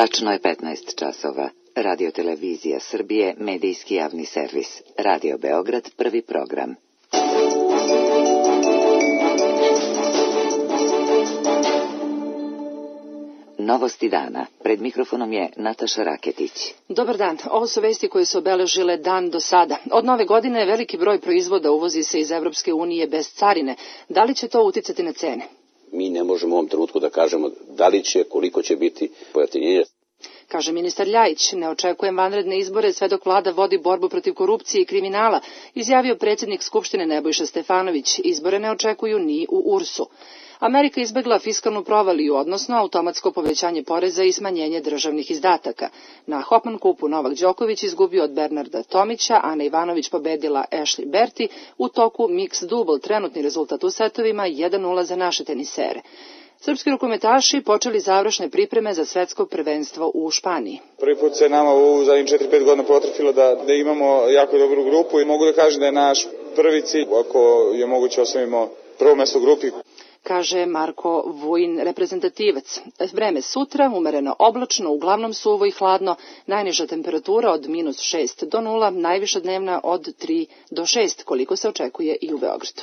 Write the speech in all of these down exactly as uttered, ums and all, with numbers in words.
Tačno je petnaest časova. Radio Televizija Srbije, medijski javni servis. Radio Beograd, prvi program. Novosti dana. Pred mikrofonom je Nataša Raketić. Dobar dan. Ovo su vesti koje su obeležile dan do sada. Od nove godine veliki broj proizvoda uvozi se iz Evropske unije bez carine. Da li će to uticati na cene? Mi ne možemo u ovom trenutku da kažemo da li će, koliko će biti pojeftinjenje. Kaže ministar Ljajić, ne očekujem vanredne izbore sve dok vlada vodi borbu protiv korupcije i kriminala, izjavio predsjednik Skupštine Nebojša Stefanović. Izbore ne očekuju ni u U R S-u. Amerika izbegla fiskalnu provaliju, odnosno automatsko povećanje poreza i smanjenje državnih izdataka. Na Hopman kupu Novak Đoković izgubio od Bernarda Tomića, Ana Ivanović pobedila Ashley Berti, u toku mix double, trenutni rezultat u setovima jedan nula za naše tenisere. Srpski rukometaši počeli završne pripreme za svetsko prvenstvo u Španiji. Prvi put se nama u zadnjih četiri pet godina potrefilo da, da imamo jako dobru grupu i mogu da kažem da je naš prvi cilj, ako je moguće, osvojimo prvo mesto u grupi. Kaže Marko Vujin, reprezentativac. Vreme sutra, umereno oblačno, uglavnom suvo i hladno, najniža temperatura od minus šest do nula, najviša dnevna od tri do šest, koliko se očekuje i u Beogradu.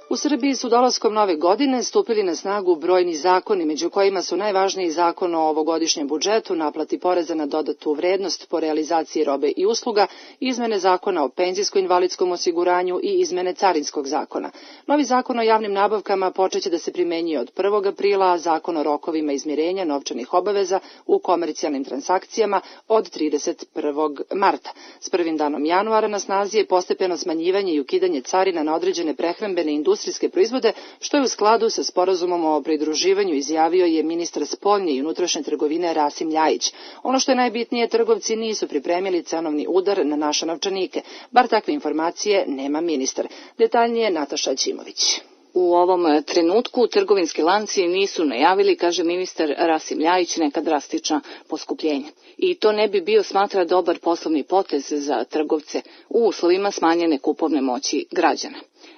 U Srbiji su dolaskom nove godine stupili na snagu brojni zakoni, među kojima su najvažniji zakon o ovogodišnjem budžetu, naplati poreza na dodatu vrednost po realizaciji robe i usluga, izmene zakona o penzijsko-invalidskom osiguranju i izmene carinskog zakona. Novi zakon o javnim nabavkama počeće da se primenjuje od prvog aprila, a zakon o rokovima izmirenja novčanih obaveza u komercijalnim transakcijama od trideset prvog marta. S prvim danom januara na snazi je postepeno smanjivanje i ukidanje carina na određene prehrambene industrijske proizvode, što je u skladu sa sporazumom o pridruživanju, izjavio je ministar spoljne i unutrašnje trgovine Rasim Ljajić. Ono što je najbitnije, trgovci nisu pripremili cenovni udar na naše novčanike. Bar takve informacije nema ministar. Detaljnije Nataša Ćimović. U ovom trenutku trgovinski lanci nisu najavili, kaže ministar Rasim Ljajić, neka drastična poskupljenja. I to ne bi bio, smatra, dobar poslovni potez za trgovce u uslovima smanjene kupovne moći građana.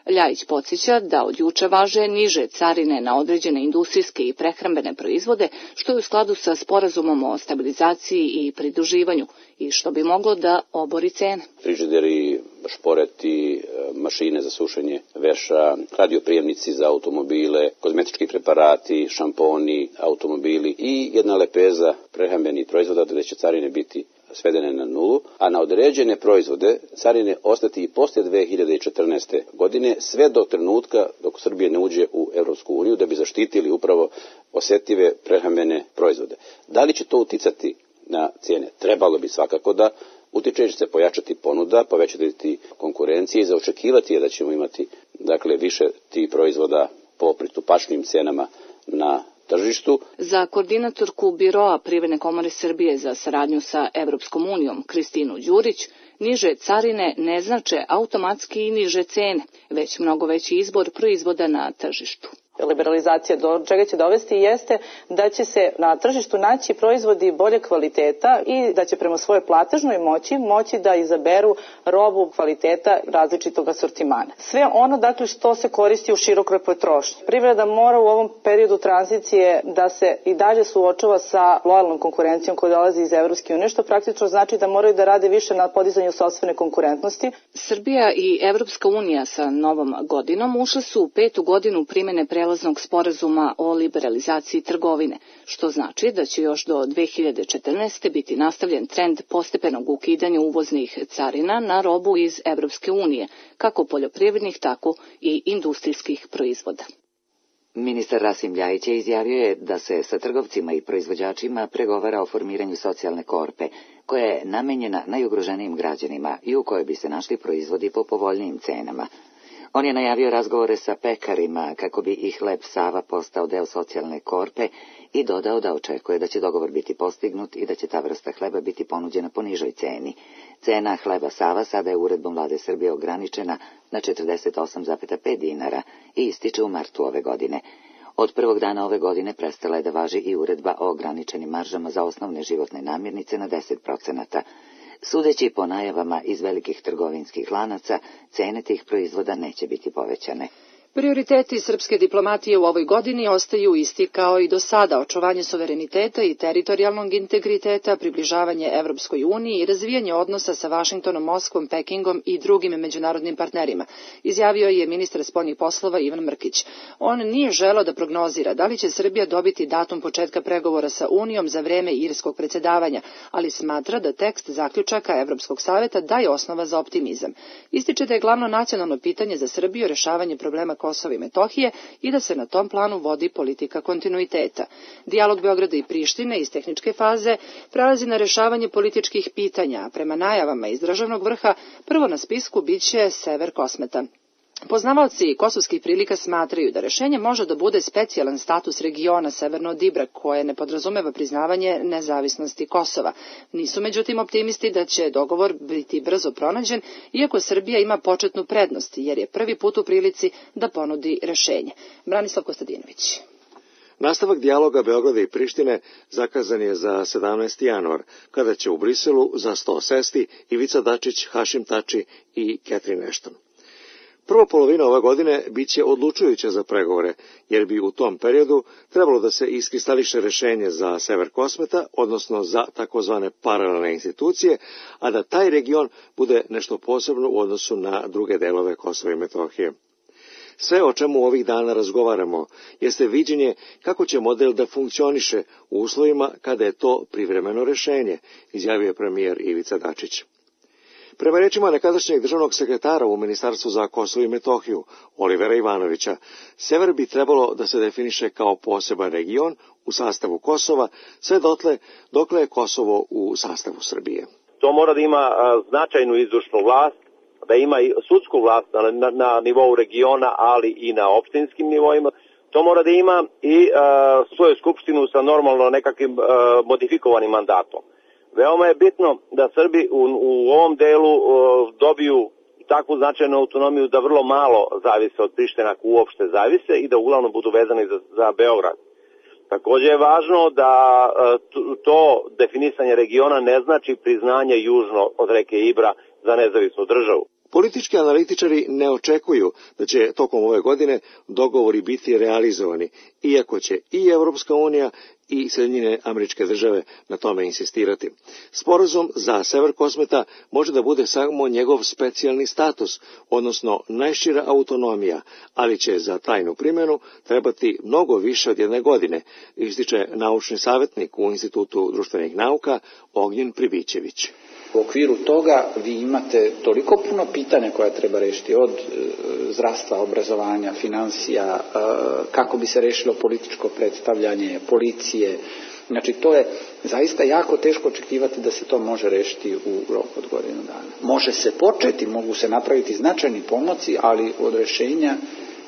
Ljajić podsjeća da od juče važe niže carine na određene industrijske i prehrambene proizvode, što je u skladu sa sporazumom o stabilizaciji i pridruživanju i što bi moglo da obori cene. Frižideri, šporeti, mašine za sušenje veša, radioprijemnici za automobile, kozmetički preparati, šamponi, automobili i jedna lepeza prehrambenih proizvoda gde će carine biti svedene na nulu, a na određene proizvode carine ostati i posle dve hiljade četrnaeste. godine, sve do trenutka dok Srbija ne uđe u Evropsku uniju, da bi zaštitili upravo osetljive prehrambene proizvode. Da li će to uticati na cijene? Trebalo bi svakako da utiče, će se pojačati ponuda, povećati konkurencije i zaočekivati je da ćemo imati dakle više tih proizvoda po pristupačnim cenama na tržištu. Za koordinatorku Biroa Privredne komore Srbije za saradnju sa Evropskom unijom Kristinu Đurić, niže carine ne znače automatski i niže cene, već mnogo veći izbor proizvoda na tržištu. Liberalizacija do čega će dovesti jeste da će se na tržištu naći proizvodi bolje kvaliteta i da će prema svojoj platežnoj moći moći da izaberu robu kvaliteta različitog asortimana. Sve ono dakle što se koristi u širokoj potrošnji. Privreda mora u ovom periodu tranzicije da se i dalje suočava sa lojalnom konkurencijom koja dolazi iz Evropske unije, što praktično znači da moraju da rade više na podizanju sopstvene konkurentnosti. Srbija i Evropska unija sa novom godinom ušle su u petu godinu primene prelaznog sporazuma o liberalizaciji trgovine, što znači da će još do dve hiljade četrnaeste. biti nastavljen trend postepenog ukidanja uvoznih carina na robu iz Evropske unije, kako poljoprivrednih, tako i industrijskih proizvoda. Ministar Rasim Ljajić je izjavio je da se sa trgovcima i proizvođačima pregovara o formiranju socijalne korpe, koja je namenjena najugroženijim građanima i u kojoj bi se našli proizvodi po povoljnijim cenama. On je najavio razgovore sa pekarima kako bi i hleb Sava postao deo socijalne korpe i dodao da očekuje da će dogovor biti postignut i da će ta vrsta hleba biti ponuđena po nižoj ceni. Cena hleba Sava sada je uredbom Vlade Srbije ograničena na četrdeset osam zarez pet dinara i ističe u martu ove godine. Od prvog dana ove godine prestala je da važi i uredba o ograničenim maržama za osnovne životne namirnice na deset procenata. Sudeći po najavama iz velikih trgovinskih lanaca, cene tih proizvoda neće biti povećane. Prioriteti srpske diplomatije u ovoj godini ostaju isti kao i do sada: očuvanje suvereniteta i teritorijalnog integriteta, približavanje Evropskoj uniji i razvijanje odnosa sa Vašingtonom, Moskvom, Pekingom i drugim međunarodnim partnerima, izjavio je ministar spoljnih poslova Ivan Mrkić. On nije želeo da prognozira da li će Srbija dobiti datum početka pregovora sa Unijom za vreme irskog predsjedavanja, ali smatra da tekst zaključaka Evropskog saveta daje osnova za optimizam. Ističe da je glavno nacionalno pitanje za Srbiju rešavanje problema Kosova i Metohije i da se na tom planu vodi politika kontinuiteta. Dijalog Beograda i Prištine iz tehničke faze prelazi na rešavanje političkih pitanja, a prema najavama iz državnog vrha prvo na spisku biće sever Kosmeta. Poznavaoci kosovskih prilika smatraju da rešenje može da bude specijalan status regiona severno od Ibra, koje ne podrazumeva priznavanje nezavisnosti Kosova. Nisu međutim optimisti da će dogovor biti brzo pronađen, iako Srbija ima početnu prednost, jer je prvi put u prilici da ponudi rešenje. Branislav Kostadinović. Nastavak dijaloga Beograda i Prištine zakazan je za sedamnaesti januar, kada će u Briselu za sto sesti Ivica Dačić, Hašim Tači i Catherine Ashton. Prva polovina ove godine biće odlučujuća za pregovore, jer bi u tom periodu trebalo da se iskristališe rešenje za sever Kosmeta, odnosno za takozvane paralelne institucije, a da taj region bude nešto posebno u odnosu na druge delove Kosova i Metohije. Sve o čemu ovih dana razgovaramo jeste viđenje kako će model da funkcioniše u uslovima kada je to privremeno rešenje, izjavio je premijer Ivica Dačić. Prema rečima nekadašnjeg državnog sekretara u Ministarstvu za Kosovo i Metohiju, Olivera Ivanovića, sever bi trebalo da se definiše kao poseban region u sastavu Kosova, sve dotle dokle je Kosovo u sastavu Srbije. To mora da ima a, značajnu izvršnu vlast, da ima i sudsku vlast na, na, na nivou regiona, ali i na opštinskim nivoima. To mora da ima i a, svoju skupštinu sa normalno nekakvim a, modifikovanim mandatom. Veoma je bitno da Srbi u, u ovom delu uh, dobiju takvu značajnu autonomiju da vrlo malo zavise od Prištine, ako uopšte zavise, i da uglavnom budu vezani za, za Beograd. Također je važno da uh, to definisanje regiona ne znači priznanje južno od reke Ibra za nezavisnu državu. Politički analitičari ne očekuju da će tokom ove godine dogovori biti realizovani, iako će i Evropska unija i Sjedinjene Američke Države na tome insistirati. Sporazum za sever Kosmeta može da bude samo njegov specijalni status, odnosno najšira autonomija, ali će za tajnu primjenu trebati mnogo više od jedne godine, ističe naučni savjetnik u Institutu društvenih nauka Ognjen Pribićević. U okviru toga vi imate toliko puno pitanja koja treba rešiti, od e, zdravstva, obrazovanja, financija, e, kako bi se rešilo političko predstavljanje, policije. Znači, to je zaista jako teško očekivati da se to može rešiti u roku od godinu dana. Može se početi, mogu se napraviti značajni pomaci, ali od rešenja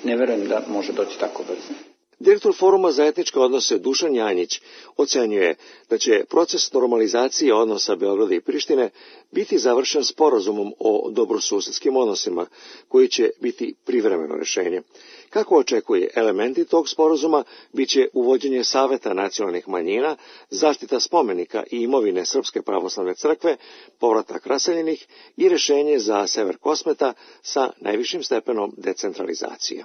ne verujem da može doći tako brzo. Direktor Foruma za etničke odnose Dušan Janjić ocenjuje da će proces normalizacije odnosa Beograda i Prištine biti završen sporazumom o dobrosusedskim odnosima, koji će biti privremeno rešenje. Kako očekuje, elementi tog sporazuma biće uvođenje Saveta nacionalnih manjina, zaštita spomenika i imovine Srpske pravoslavne crkve, povratak raseljenih i rešenje za sever Kosmeta sa najvišim stepenom decentralizacije.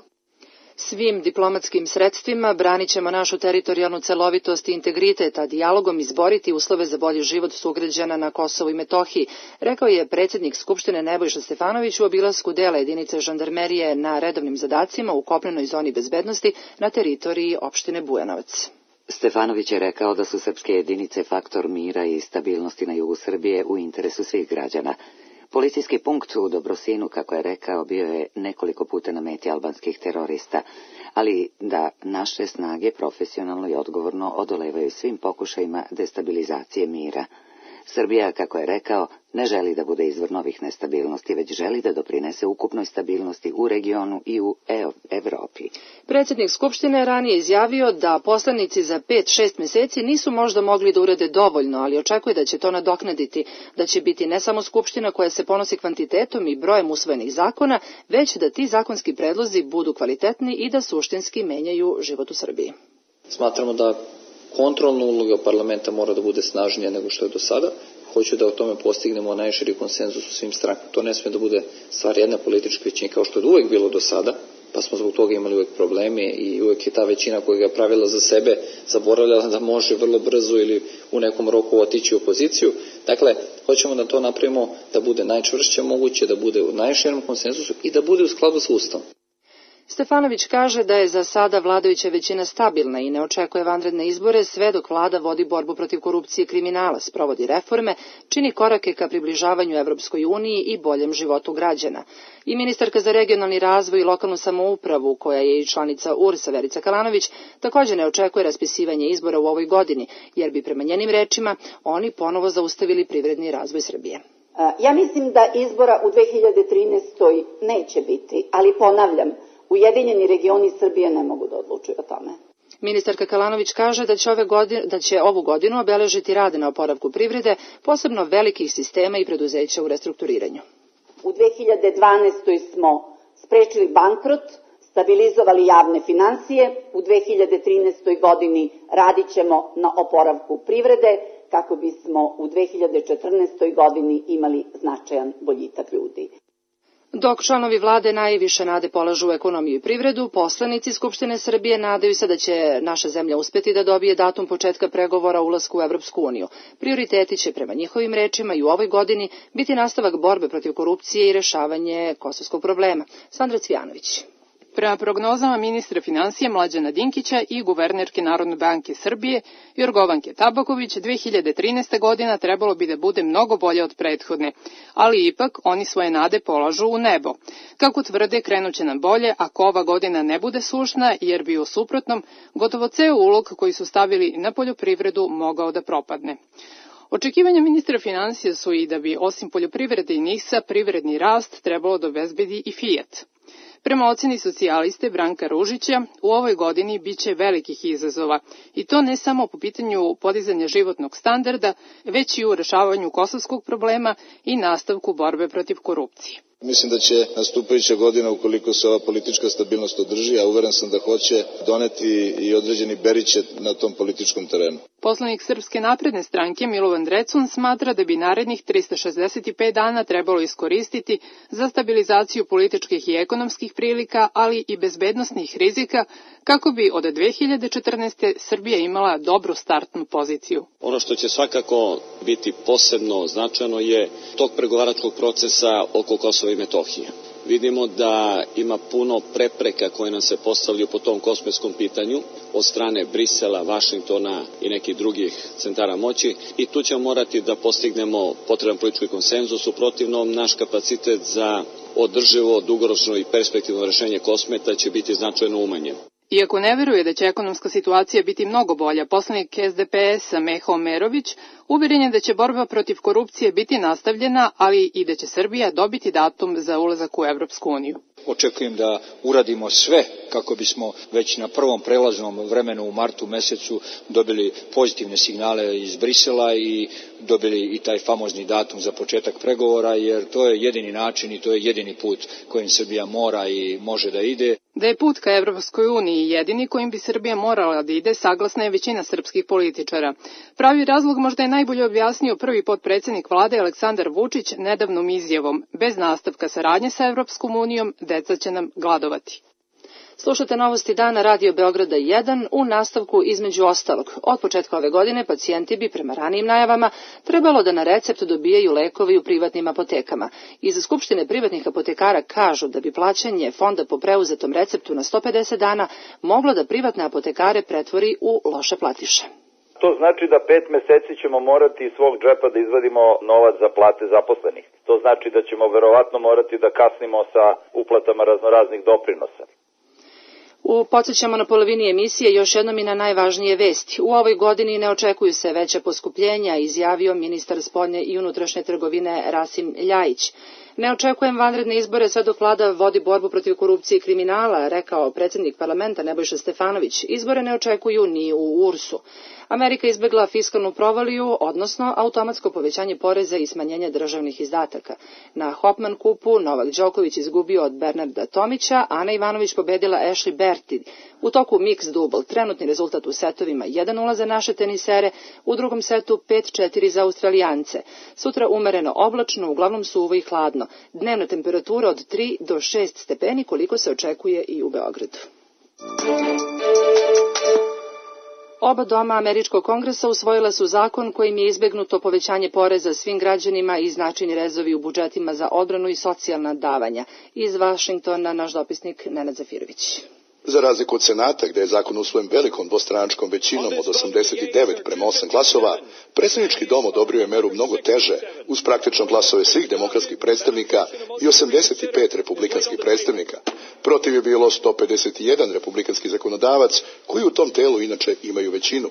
Svim diplomatskim sredstvima branit ćemo našu teritorijalnu celovitost i integritet, a dijalogom izboriti uslove za bolji život sugrađana na Kosovu i Metohiji, rekao je predsjednik Skupštine Nebojša Stefanović u obilasku dela jedinice žandarmerije na redovnim zadacima u kopnenoj zoni bezbednosti na teritoriji opštine Bujanovac. Stefanović je rekao da su srpske jedinice faktor mira i stabilnosti na jugu Srbije u interesu svih građana. Policijski punkt u Dobrosinu, kako je rekao, bio je nekoliko puta na meti albanskih terorista, ali da naše snage profesionalno i odgovorno odolevaju svim pokušajima destabilizacije mira. Srbija, kako je rekao, ne želi da bude izvor novih nestabilnosti, već želi da doprinese ukupnoj stabilnosti u regionu i u Evropi. Predsjednik Skupštine je ranije izjavio da poslanici za pet šest mjeseci nisu možda mogli da urade dovoljno, ali očekuje da će to nadoknaditi, da će biti ne samo Skupština koja se ponosi kvantitetom i brojem usvojenih zakona, već da ti zakonski predlozi budu kvalitetni i da suštinski menjaju život u Srbiji. Smatramo da kontrolna uloga parlamenta mora da bude snažnija nego što je do sada. Hoću da o tome postignemo najširi konsenzus u svim strankama. To ne smije da bude stvar jedne političke većine kao što je uvek bilo do sada, pa smo zbog toga imali uvek probleme i uvek je ta većina koja ga pravila za sebe zaboravljala da može vrlo brzo ili u nekom roku otići u opoziciju. Dakle, hoćemo da to napravimo da bude najčvršće moguće, da bude u najširem konsenzusu i da bude u skladu sa Ustavom. Stefanović kaže da je za sada vladajuća većina stabilna i ne očekuje vanredne izbore sve dok vlada vodi borbu protiv korupcije i kriminala, sprovodi reforme, čini korake ka približavanju Evropskoj uniji i boljem životu građana. I ministarka za regionalni razvoj i lokalnu samoupravu, koja je i članica U R S-a Verica Kalanović, također ne očekuje raspisivanje izbora u ovoj godini, jer bi prema njenim rečima oni ponovo zaustavili privredni razvoj Srbije. Ja mislim da izbora u dve hiljade trinaestoj. neće biti, ali ponavljam, Ujedinjeni regioni Srbije ne mogu da odlučuju o tome. Ministarka Kalanović kaže da će, ove godine, da će ovu godinu obeležiti rade na oporavku privrede, posebno velikih sistema i preduzeća u restrukturiranju. U dve hiljade dvanaestoj. smo sprečili bankrot, stabilizovali javne finansije, u dve hiljade trinaestoj. godini radit ćemo na oporavku privrede kako bismo u dve hiljade četrnaestoj. godini imali značajan boljitak ljudi. Dok članovi vlade najviše nade polažu u ekonomiju i privredu, poslanici Skupštine Srbije nadaju se da će naša zemlja uspeti da dobije datum početka pregovora o ulasku u Evropsku uniju. Prioriteti će prema njihovim rečima i u ovoj godini biti nastavak borbe protiv korupcije i rešavanje kosovskog problema. Sandra Cvijanović. Prema prognozama ministra finansija Mlađana Dinkića i guvernerke Narodne banke Srbije Jorgovanke Tabaković, dve hiljade trinaesta. godina trebalo bi da bude mnogo bolje od prethodne, ali ipak oni svoje nade polažu u nebo. Kako tvrde, krenuće nam bolje ako ova godina ne bude sušna, jer bi u suprotnom gotovo ceo ulog koji su stavili na poljoprivredu mogao da propadne. Očekivanja ministra finansija su i da bi osim poljoprivrede i N I S-a privredni rast trebalo da obezbedi i Fiat. Prema oceni socijaliste Branka Ružića, u ovoj godini biće velikih izazova, i to ne samo po pitanju podizanja životnog standarda, već i u rešavanju kosovskog problema i nastavku borbe protiv korupcije. Mislim da će nastupajuća godina, ukoliko se ova politička stabilnost održi, a uveren sam da hoće, doneti i određeni beriće na tom političkom terenu. Poslanik Srpske napredne stranke Milovan Drecun smatra da bi narednih trista šezdeset pet dana trebalo iskoristiti za stabilizaciju političkih i ekonomskih prilika, ali i bezbednosnih rizika, kako bi od dve hiljade četrnaeste. Srbija imala dobru startnu poziciju. Ono što će svakako biti posebno značajno je tok pregovaračkog procesa oko Kosova i Metohije. Vidimo da ima puno prepreka koje nam se postavljaju po tom kosmetskom pitanju od strane Brisela, Vašingtona i nekih drugih centara moći, i tu ćemo morati da postignemo potreban politički konsenzus, u protivnom naš kapacitet za održivo, dugoročno i perspektivno rešenje Kosmeta će biti značajno umanjen. Iako ne veruje da će ekonomska situacija biti mnogo bolja, poslanik S D P S-a Meho Omerović uveren je da će borba protiv korupcije biti nastavljena, ali i da će Srbija dobiti datum za ulazak u Evropsku uniju. Očekujem da uradimo sve kako bismo već na prvom prelaznom vremenu u martu mesecu dobili pozitivne signale iz Brisela i dobili i taj famozni datum za početak pregovora, jer to je jedini način i to je jedini put kojim Srbija mora i može da ide. Da je put ka Evropskoj uniji jedini kojim bi Srbija morala da ide, saglasna je većina srpskih političara. Pravi razlog možda je najbolje objasnio prvi potpredsednik vlade Aleksandar Vučić nedavnom izjavom: bez nastavka saradnje sa Evropskom unijom, deca će nam gladovati. Slušate novosti dana Radio Beograda jedan, u nastavku između ostalog. Od početka ove godine pacijenti bi prema ranijim najavama trebalo da na recept dobijaju lekovi u privatnim apotekama. Iz Skupštine privatnih apotekara kažu da bi plaćanje fonda po preuzetom receptu na sto pedeset dana moglo da privatne apotekare pretvori u loše platiše. To znači da pet meseci ćemo morati iz svog džepa da izvadimo novac za plate zaposlenih. To znači da ćemo verovatno morati da kasnimo sa uplatama raznoraznih doprinosa. U Podsećamo na polovini emisije još jednom i na najvažnije vesti. U ovoj godini ne očekuju se veća poskupljenja, izjavio ministar spoljne i unutrašnje trgovine Rasim Ljajić. Ne očekujem vanredne izbore sve dok vlada vodi borbu protiv korupcije i kriminala, rekao predsjednik parlamenta Nebojša Stefanović. Izbore ne očekuju ni u U R S-u. Amerika izbegla fiskalnu provaliju, odnosno automatsko povećanje poreza i smanjenje državnih izdataka. Na Hopman kupu Novak Đoković izgubio od Bernarda Tomića, Ana Ivanović pobedila Ashley Berti. U toku mix double, trenutni rezultat u setovima jedan nula za naše tenisere, u drugom setu pet četiri za Australijance. Sutra umereno oblačno, uglavnom suvo i hladno. Dnevna temperatura od tri do šest stepeni, koliko se očekuje i u Beogradu. Oba doma Američkog kongresa usvojila su zakon kojim je izbegnuto povećanje poreza svim građanima i značajni rezovi u budžetima za odbranu i socijalna davanja. Iz Vašingtona naš dopisnik Nenad Zafirović. Za razliku od Senata, gde je zakon usvojen velikom dvostranačkom većinom od osamdeset devet prema osam glasova, predsjednički dom odobrio je meru mnogo teže, uz praktično glasove svih demokratskih predstavnika i osamdeset pet republikanskih predstavnika. Protiv je bilo sto pedeset jedan republikanski zakonodavac, koji u tom telu inače imaju većinu.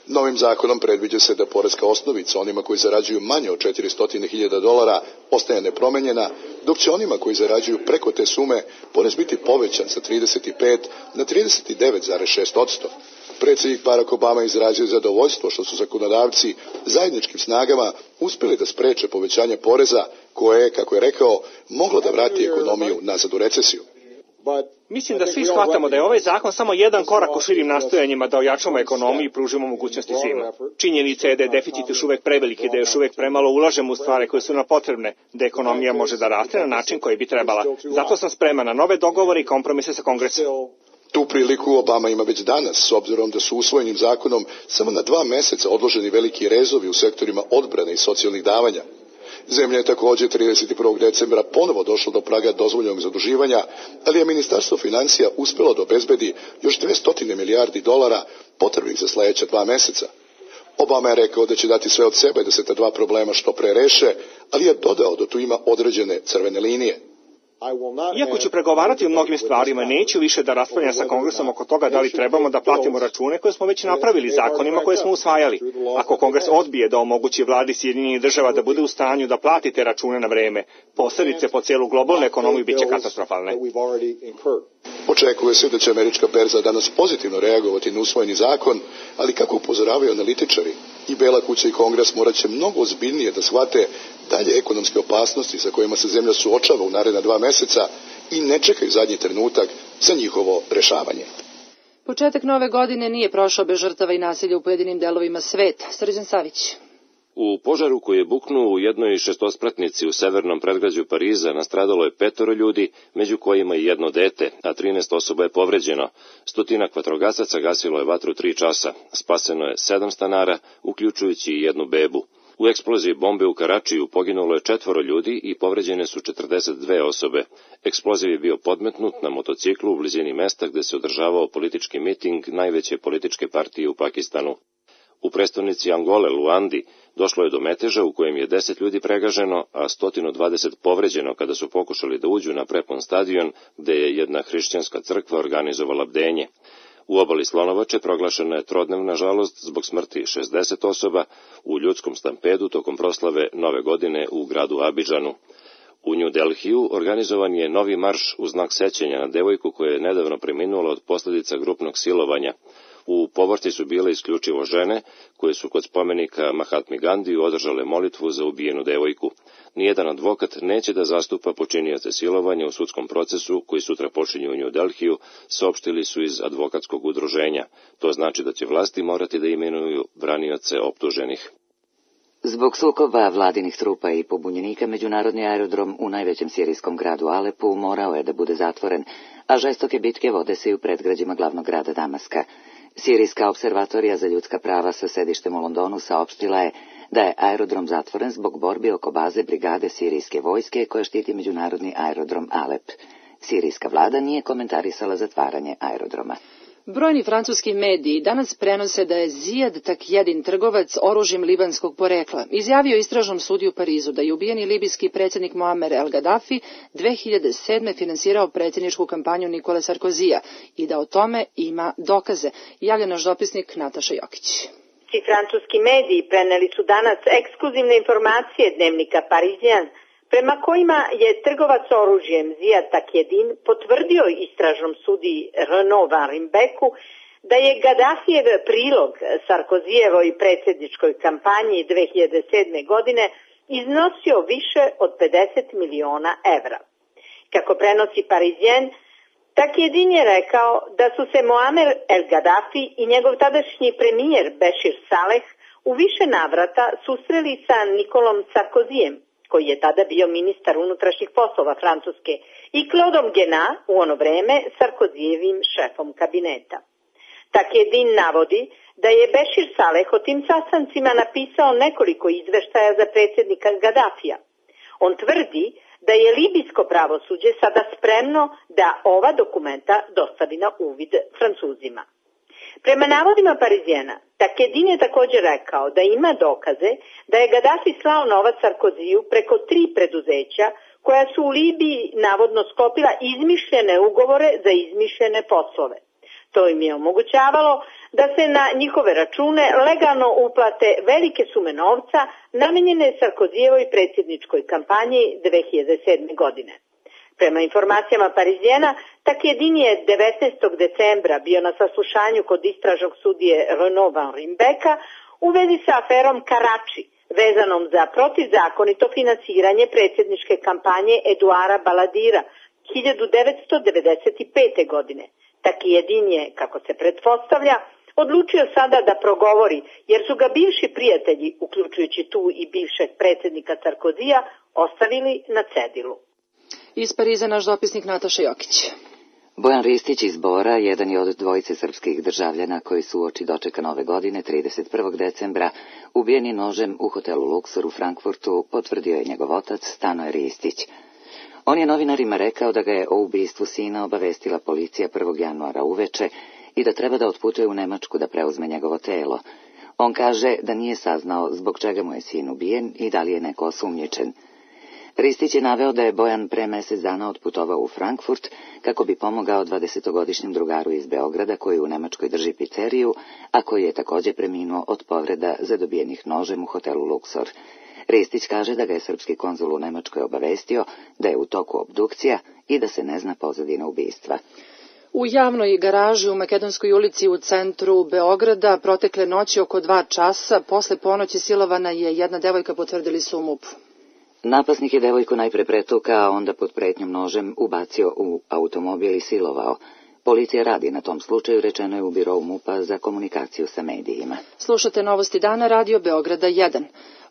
Novim zakonom predviđa se da poreska osnovica onima koji zarađuju manje od četiristo hiljada dolara ostaje nepromenjena, dok će onima koji zarađuju preko te sume porez biti povećan sa trideset pet na trideset devet zarez šest posto. Predsjednik Barack Obama izrazio zadovoljstvo što su zakonodavci zajedničkim snagama uspjeli da spreče povećanje poreza koje je, kako je rekao, moglo da vrati ekonomiju nazad u recesiju. Mislim da svi shvatamo da je ovaj zakon samo jedan korak u širim nastojanjima da ojačamo ekonomiju i pružimo mogućnosti svima. Činjenica je da je deficit još uvek preveliki, da još uvek premalo ulažemo u stvari koje su nam potrebne, da ekonomija može da raste na način koji bi trebala. Zato sam spreman na nove dogovore i kompromise sa Kongresom. Tu priliku Obama ima već danas, s obzirom da su usvojenim zakonom samo na dva meseca odloženi veliki rezovi u sektorima odbrane i socijalnih davanja. Zemlja je također trideset prvog decembra ponovo došla do praga dozvoljenog zaduživanja, ali je Ministarstvo financija uspjelo da obezbedi još dvesta milijardi dolara potrebnih za sljedeća dva meseca. Obama je rekao da će dati sve od sebe da se ta dva problema što pre reše, ali je dodao da tu ima određene crvene linije. Iako ću pregovarati o mnogim stvarima, neću više da raspravljam sa Kongresom oko toga da li trebamo da platimo račune koje smo već napravili zakonima koje smo usvajali. Ako Kongres odbije da omogući vladi Sjedinjenih država da bude u stanju da plati te račune na vreme, posljedice po cijelu globalnu ekonomiju bit će katastrofalne. Očekuje se da će američka berza danas pozitivno reagovati na usvojeni zakon, ali kako upozoravaju analitičari, i Bela kuća i Kongres morat će mnogo ozbiljnije da shvate dalje ekonomske opasnosti sa kojima se zemlja suočava u naredna dva meseca i ne čekaju zadnji trenutak za njihovo rešavanje. Početak nove godine nije prošao bez žrtava i nasilja u pojedinim delovima sveta. Srđan Savić. U požaru koji je buknuo u jednoj šestospratnici u severnom predgrađu Pariza nastradalo je petoro ljudi, među kojima i jedno dete, a trinaest osoba je povređeno. Stotinak vatrogasaca gasilo je vatru tri časa. Spaseno je sedam stanara, uključujući i jednu bebu. U eksploziji bombe u Karačiju poginulo je četvoro ljudi i povređene su četrdeset dve osobe. Eksploziv je bio podmetnut na motociklu u blizini mesta gde se održavao politički miting najveće političke partije u Pakistanu. U prestonici Angole, Luandi, došlo je do meteža u kojem je deset ljudi pregaženo, a sto dvadeset povređeno kada su pokušali da uđu na prepun stadion gde je jedna hrišćanska crkva organizovala bdenje. U obali Slonovače proglašena je trodnevna žalost zbog smrti šezdeset osoba u ljudskom stampedu tokom proslave Nove godine u gradu Abidžanu. U New Delhiju organizovan je novi marš u znak sećanja na devojku koja je nedavno preminula od posljedica grupnog silovanja. U povorci su bile isključivo žene, koje su kod spomenika Mahatmi Gandiju održale molitvu za ubijenu devojku. Nijedan advokat neće da zastupa počinioce silovanja u sudskom procesu koji sutra počinju u New Delhiju, saopštili su iz advokatskog udruženja. To znači da će vlasti morati da imenuju branioce optuženih. Zbog sukoba vladinih trupa i pobunjenika, međunarodni aerodrom u najvećem sirijskom gradu Alepu morao je da bude zatvoren, a žestoke bitke vode se i u predgrađima glavnog grada Damaska. Sirijska observatorija za ljudska prava sa sedištem u Londonu saopštila je da je aerodrom zatvoren zbog borbi oko baze brigade sirijske vojske koja štiti međunarodni aerodrom Alep. Sirijska vlada nije komentarisala zatvaranje aerodroma. Brojni francuski mediji danas prenose da je Zijad Takjedin, trgovac oružjem libanskog porekla, izjavio istražnom sudiju u Parizu da je ubijeni libijski predsjednik Muammer El Gaddafi dve hiljade sedme finansirao predsjedničku kampanju Nikole Sarkozija i da o tome ima dokaze, javlja naš dopisnik Nataša Jokić. Francuski mediji preneli su danas ekskluzivne informacije dnevnika Parisien, prema kojima je trgovac oružjem Zijad Takjedin potvrdio istražnom sudiji Renaud Van Rimbeku da je Gaddafijev prilog Sarkozijevoj predsjedničkoj kampanji dve hiljade sedme. godine iznosio više od pedeset miliona evra. Kako prenosi Parisien, Takjedin je rekao da su se Muamer el Gaddafi i njegov tadašnji premijer Bešir Saleh u više navrata susreli sa Nikolom Sarkozijem, koji je tada bio ministar unutrašnjih poslova Francuske, i Claudom Guénat, u ono vreme Sarkozijevim šefom kabineta. Takjedin navodi da je Bešir Saleh o tim sastancima napisao nekoliko izveštaja za predsjednika Gaddafija. On tvrdi da je libijsko pravosuđe sada spremno da ova dokumenta dostavi na uvid Francuzima. Prema navodima Parisijena, Takjedin je također rekao da ima dokaze da je Gaddafi slao novac Sarkoziju preko tri preduzeća koja su u Libiji navodno sklopila izmišljene ugovore za izmišljene poslove. To im je omogućavalo da se na njihove račune legalno uplate velike sume novca namenjene Sarkozijevoj predsjedničkoj kampanji dve hiljade sedme. godine. Prema informacijama Parisijena, Takjedin je devetnaestog decembra bio na saslušanju kod istražnog sudije Renaud Van Rimbeka u vezi sa aferom Karači, vezanom za protivzakonito finansiranje predsjedničke kampanje Eduara Baladira hiljadu devetsto devedeset pete. godine. Takjedin je, kako se pretpostavlja, odlučio sada da progovori, jer su ga bivši prijatelji, uključujući tu i bivšeg predsjednika Sarkozija, ostavili na cedilu. Iz Pariza naš dopisnik Nataša Jokić. Bojan Ristić iz Bora, jedan je od dvojice srpskih državljana koji su uoči dočeka nove godine, trideset prvog decembra, ubijeni nožem u hotelu Luxor u Frankfurtu, potvrdio je njegov otac Stanoje Ristić. On je novinarima rekao da ga je o ubistvu sina obavestila policija prvog januara uveče i da treba da otputuje u Nemačku da preuzme njegovo telo. On kaže da nije saznao zbog čega mu je sin ubijen i da li je neko osumnjičen. Ristić je naveo da je Bojan pre mesec dana otputovao u Frankfurt kako bi pomogao dvadesetogodišnjem drugaru iz Beograda koji u Nemačkoj drži pizzeriju, a koji je također preminuo od povreda zadobijenih nožem u hotelu Luxor. Ristić kaže da ga je srpski konzul u Nemačkoj obavestio da je u toku obdukcija i da se ne zna pozadina ubistva. U javnoj garaži u Makedonskoj ulici u centru Beograda protekle noći oko dva časa, posle ponoći silovana je jedna devojka, potvrdili su u MUP-u. Napasnik je devojku najpre pretukao, a onda pod pretnjom nožem ubacio u automobil i silovao. Policija radi na tom slučaju, rečeno je u birou MUP-a za komunikaciju sa medijima. Slušate Novosti dana, Radio Beograda jedan.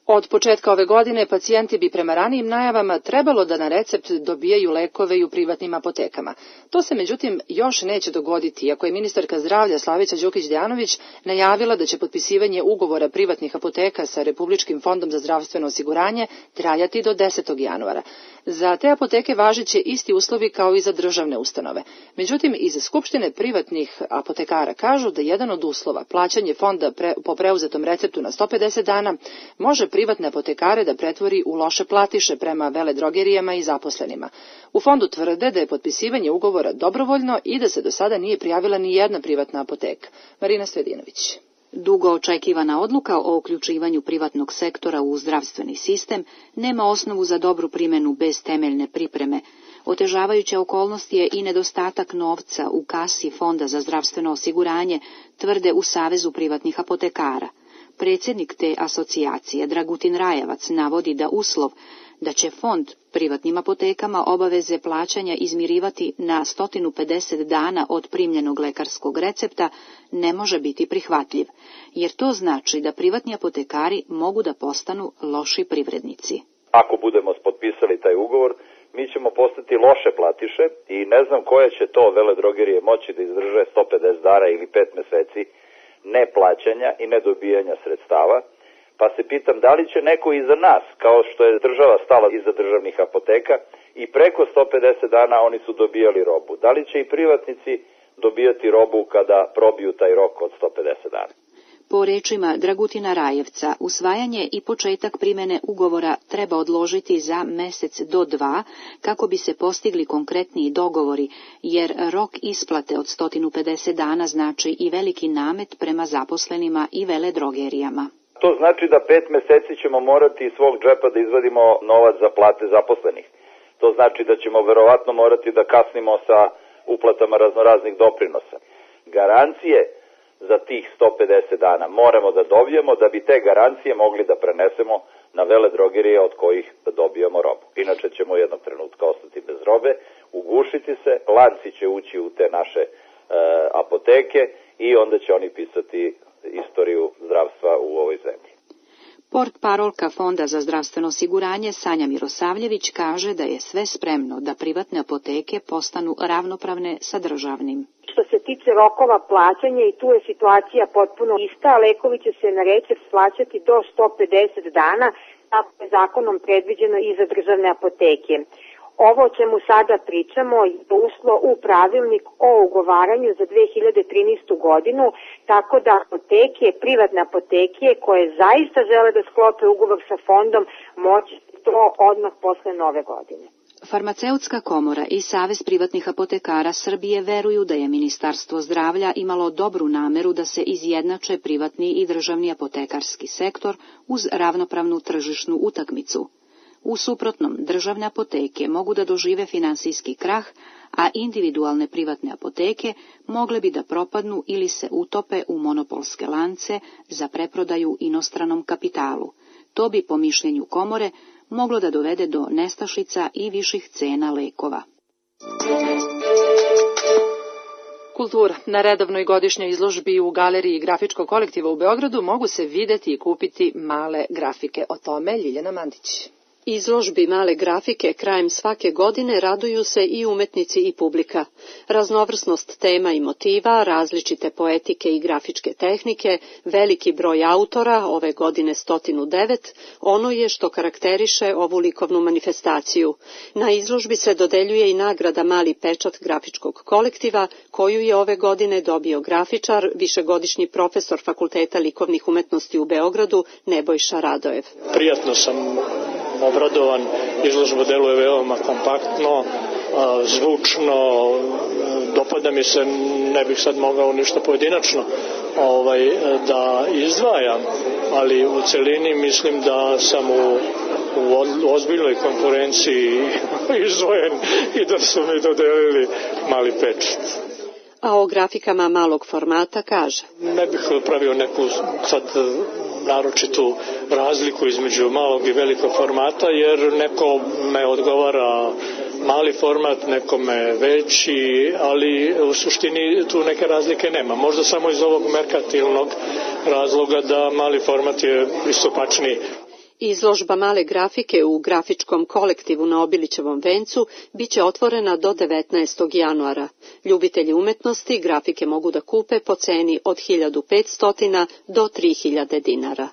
Od početka ove godine pacijenti bi prema ranijim najavama trebalo da na recept dobijaju lekove i u privatnim apotekama. To se međutim još neće dogoditi, iako je ministarka zdravlja Slavica Đukić-Dejanović najavila da će potpisivanje ugovora privatnih apoteka sa Republičkim fondom za zdravstveno osiguranje trajati do desetog januara. Za te apoteke važiće isti uslovi kao i za državne ustanove. Međutim, iz Skupštine privatnih apotekara kažu da jedan od uslova, plaćanje fonda pre, po preuzetom receptu na sto pedeset dana, može privatne apotekare da pretvori u loše platiše prema veledrogerijama i zaposlenima. U fondu tvrde da je potpisivanje ugovora dobrovoljno i da se do sada nije prijavila ni jedna privatna apoteka. Marina Svedinović. Dugo očekivana odluka o uključivanju privatnog sektora u zdravstveni sistem nema osnovu za dobru primjenu bez temeljne pripreme. Otežavajuća okolnost je i nedostatak novca u kasi Fonda za zdravstveno osiguranje, tvrde u Savezu privatnih apotekara. Predsjednik te asocijacije, Dragutin Rajevac, navodi da uslov da će fond privatnim apotekama obaveze plaćanja izmirivati na sto pedeset dana od primljenog lekarskog recepta ne može biti prihvatljiv, jer to znači da privatni apotekari mogu da postanu loši privrednici. Ako budemo potpisali taj ugovor, mi ćemo postati loše platiše i ne znam koje će to veledrogerije moći da izdrže sto pedeset dana ili pet meseci neplaćanja i nedobijanja sredstava, pa se pitam da li će neko iza nas, kao što je država stala iza državnih apoteka i preko sto pedeset dana oni su dobijali robu, da li će i privatnici dobijati robu kada probiju taj rok od sto pedeset dana. Po rečima Dragutina Rajevca, usvajanje i početak primjene ugovora treba odložiti za mesec do dva kako bi se postigli konkretniji dogovori, jer rok isplate od sto pedeset dana znači i veliki namet prema zaposlenima i veledrogerijama. To znači da pet meseci ćemo morati iz svog džepa da izvadimo novac za plate zaposlenih. To znači da ćemo verovatno morati da kasnimo sa uplatama raznoraznih doprinosa. Garancije za tih sto pedeset dana. Moramo da dobijemo da bi te garancije mogli da prenesemo na veledrogerije od kojih dobijamo robu. Inače ćemo jednog trenutka ostati bez robe, ugušiti se, lanci će ući u te naše e, apoteke i onda će oni pisati istoriju zdravstva u ovoj zemlji. Portparolka Fonda za zdravstveno osiguranje Sanja Mirosavljević kaže da je sve spremno da privatne apoteke postanu ravnopravne sa državnim. Što se tiče rokova plaćanja, i tu je situacija potpuno ista, lekovi će se na recept plaćati do sto pedeset dana, tako je zakonom predviđeno i za državne apoteke. Ovo o čemu sada pričamo je ušlo u pravilnik o ugovaranju za dve hiljade trinaestu godinu, tako da apoteke, privatne apoteke koje zaista žele da sklope ugovor sa fondom, moći to odmah posle nove godine. Farmaceutska komora i Savez privatnih apotekara Srbije veruju da je Ministarstvo zdravlja imalo dobru nameru da se izjednače privatni i državni apotekarski sektor uz ravnopravnu tržišnu utakmicu. U suprotnom, državne apoteke mogu da dožive finansijski krah, a individualne privatne apoteke mogle bi da propadnu ili se utope u monopolske lance za preprodaju inostranom kapitalu. To bi, po mišljenju komore, moglo da dovede do nestašica i viših cena lekova. Kultura. Na redovnoj godišnjoj izložbi u Galeriji grafičkog kolektiva u Beogradu mogu se videti i kupiti male grafike. O tome Ljiljana Mandić. Izložbi male grafike krajem svake godine raduju se i umetnici i publika. Raznovrsnost tema i motiva, različite poetike i grafičke tehnike, veliki broj autora, ove godine stotinu devet, ono je što karakteriše ovu likovnu manifestaciju. Na izložbi se dodeljuje i nagrada Mali pečat grafičkog kolektiva, koju je ove godine dobio grafičar, višegodišnji profesor Fakulteta likovnih umetnosti u Beogradu, Nebojša Radojev. Prijatno sam obradovan, izložba deluje veoma kompaktno, zvučno, dopada mi se, ne bih sad mogao ništa pojedinačno ovaj, da izdvajam, ali u celini mislim da sam u, u ozbiljnoj konkurenciji izdvojen i da su mi dodelili mali pečat. A o grafikama malog formata kaže: Ne bih pravio neku sad naročitu razliku između malog i velikog formata, jer neko me odgovara mali format, nekome veći, ali u suštini tu neke razlike nema. Možda samo iz ovog merkantilnog razloga da mali format je pristupačniji. Izložba male grafike u grafičkom kolektivu na Obilićevom vencu biće otvorena do devetnaestog januara. Ljubitelji umetnosti grafike mogu da kupe po ceni od hiljadu petsto do tri hiljade dinara.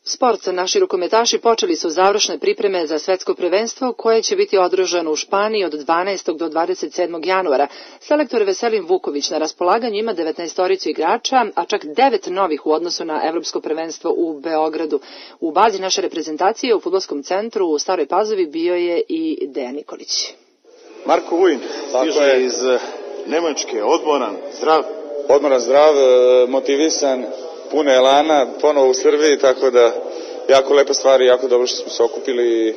Sport. Naši rukometaši počeli su završne pripreme za svetsko prvenstvo koje će biti održano u Španiji od dvanaestog do dvadeset sedmog januara. Selektor Veselin Vuković na raspolaganju ima devetnaestoricu igrača, a čak devet novih u odnosu na evropsko prvenstvo u Beogradu. U bazi naše reprezentacije u fudbalskom centru u Staroj Pazovi bio je i Dejan Nikolić. Marko Vujin stiže iz Nemačke, odmoran, zdrav. Odmoran, zdrav, motivisan, puno elana, ponovo u Srbiji, tako da jako lepa stvar i jako dobro što smo se okupili.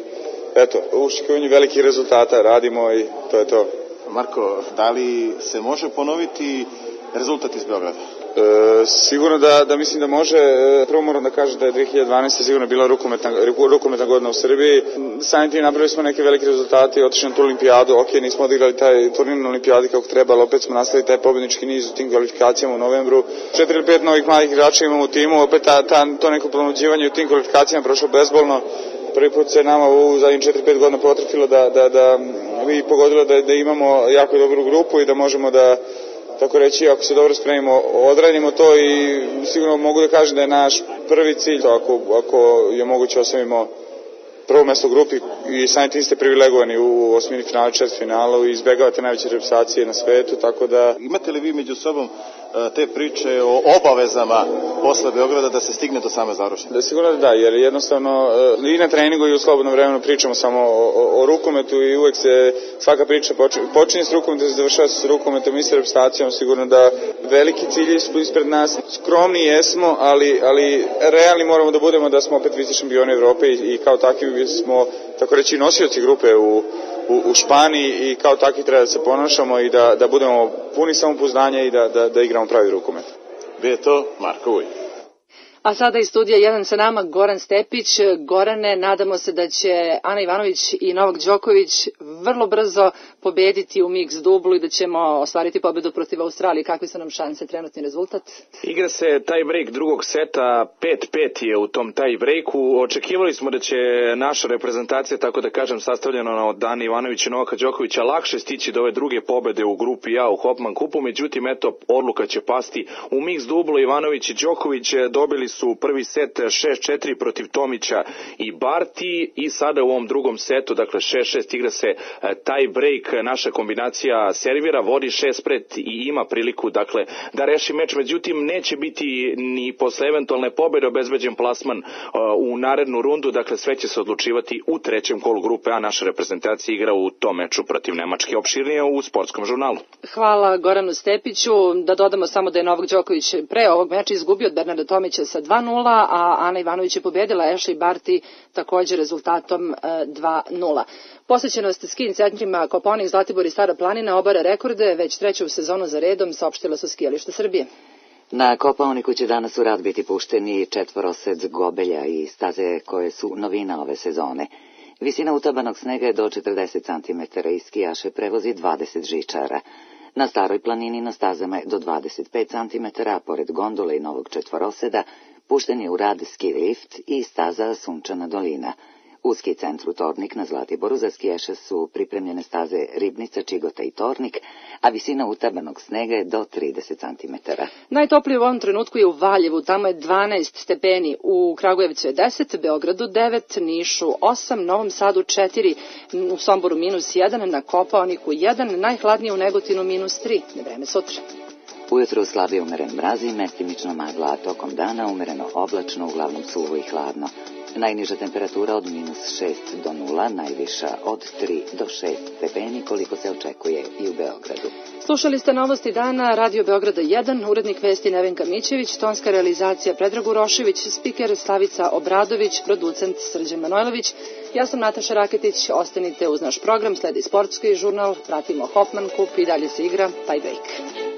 Eto, u očekivanju velikih rezultata radimo i to je to. Marko, da li se može ponoviti rezultat iz Beograda? E, sigurno da, da mislim da može. Prvo moram da kažem da je dve hiljade dvanaeste. sigurno bila rukometna, rukometna godina u Srbiji. Samim tim napravili smo neke velike rezultate i otišli na tu olimpijadu. Ok, nismo odigrali taj turnir na olimpijadi kako treba, ali opet smo nastavili taj pobednički niz u tim kvalifikacijama u novembru. Četiri ili pet novih mladih igrača imamo u timu, opet ta, ta, to neko ponuđivanje u tim kvalifikacijama prošlo bezbolno. Prvi put se nama u zadnjih četiri pet godina potrefilo da, da, da, i pogodilo da, da imamo jako dobru grupu i da možemo da, tako reći, ako se dobro spremimo, odradimo to i sigurno mogu da kažem da je naš prvi cilj, ako, ako je moguće osvojimo prvo mesto u grupi i samim tim ste privilegovani u osmini finala, četiri finalu i izbegavate najveće reprezentacije na svetu, tako da... Imate li vi među sobom te priče o obavezama posle Beograda da se stigne do same završene? Da, sigurno da da, jer jednostavno i na treningu i u slobodnom vremenu pričamo samo o, o, o rukometu i uvek se svaka priča počinje, počinje s rukometom, se završava s rukometom i s reprezentacijom, sigurno da veliki cilji su ispred nas, skromni jesmo, ali, ali realni moramo da budemo da smo opet vice šampioni Evrope i, i kao takvi smo, tako reći, nosioci grupe u U, u Španiji i kao takvi treba da se ponašamo i da, da budemo puni samopouzdanja i da, da, da igramo pravi rukomet. Bio je to Marko Vuj. A sada iz studija jedan sa nama Goran Stepić. Gorane, nadamo se da će Ana Ivanović i Novak Đoković vrlo brzo pobediti u mix dublu i da ćemo ostvariti pobedu protiv Australije. Kakve su nam šanse, trenutni rezultat? Igra se tie break drugog seta, pet pet je u tom tie breaku. Očekivali smo da će naša reprezentacija, tako da kažem, sastavljena od Ana Ivanovića i Novaka Đokovića, lakše stići do ove druge pobede u grupi A u Hopman kupu. Međutim, eto, odluka će pasti u mix dublu. Ivanović i Đoković dobili su prvi set šest četiri protiv Tomića i Barti i sada u ovom drugom setu, dakle šest šest, igra se tie break, naša kombinacija servira, vodi šest pet i ima priliku dakle da reši meč, međutim neće biti ni posle eventualne pobede obezbeđen plasman uh, u narednu rundu, dakle sve će se odlučivati u trećem kolu grupe A. Naša reprezentacija igra u tom meču protiv Nemačke, opširnije u sportskom žurnalu. Hvala Goranu Stepiću. Da dodamo samo da je Novak Đoković pre ovog meča izgubio od Bernarda Tomića sa dva nula, a Ana Ivanović je pobedila Ashley Barty također rezultatom dva nula. Posvećenost ski centrima Kopaonik, Zlatibor i Stara planina obara rekorde već treću sezonu za redom, saopštila su skijališta Srbije. Na Kopaoniku će danas u rad biti pušteni četvorosed gobelja i staze koje su novina ove sezone. Visina utabanog snega je do četrdeset centimetara i skijaše prevozi dvadeset žičara. Na Staroj planini na stazama je do dvadeset pet centimetara, a pored gondole i novog četvoroseda pušten je u rad ski lift i staza Sunčana dolina. U ski centru Tornik na Zlatiboru za skijaše su pripremljene staze Ribnica, Čigota i Tornik, a visina utabanog snega je do trideset centimetara. Najtoplije u ovom trenutku je u Valjevu, tamo je dvanaest stepeni, u Kragujevcu je deset, Beogradu devet, Nišu osam, Novom Sadu četiri, u Somboru minus jedan, na Kopaoniku jedan, najhladnije u Negotinu minus tri. Vreme sutra. Ujutro slabije umeren mraz i mestimično magla, a tokom dana umereno oblačno, uglavnom suvo i hladno. Najniža temperatura od minus šest do nula, najviša od tri do šest stepeni, koliko se očekuje i u Beogradu. Slušali ste novosti dana Radio Beograda jedan, urednik vesti Nevenka Mićević, tonska realizacija Predrag Urošević, spiker Slavica Obradović, producent Srđan Manojlović. Ja sam Nataša Raketić, ostanite uz naš program, sledi sportski žurnal, pratimo Hopman kup i dalje se igra tie break.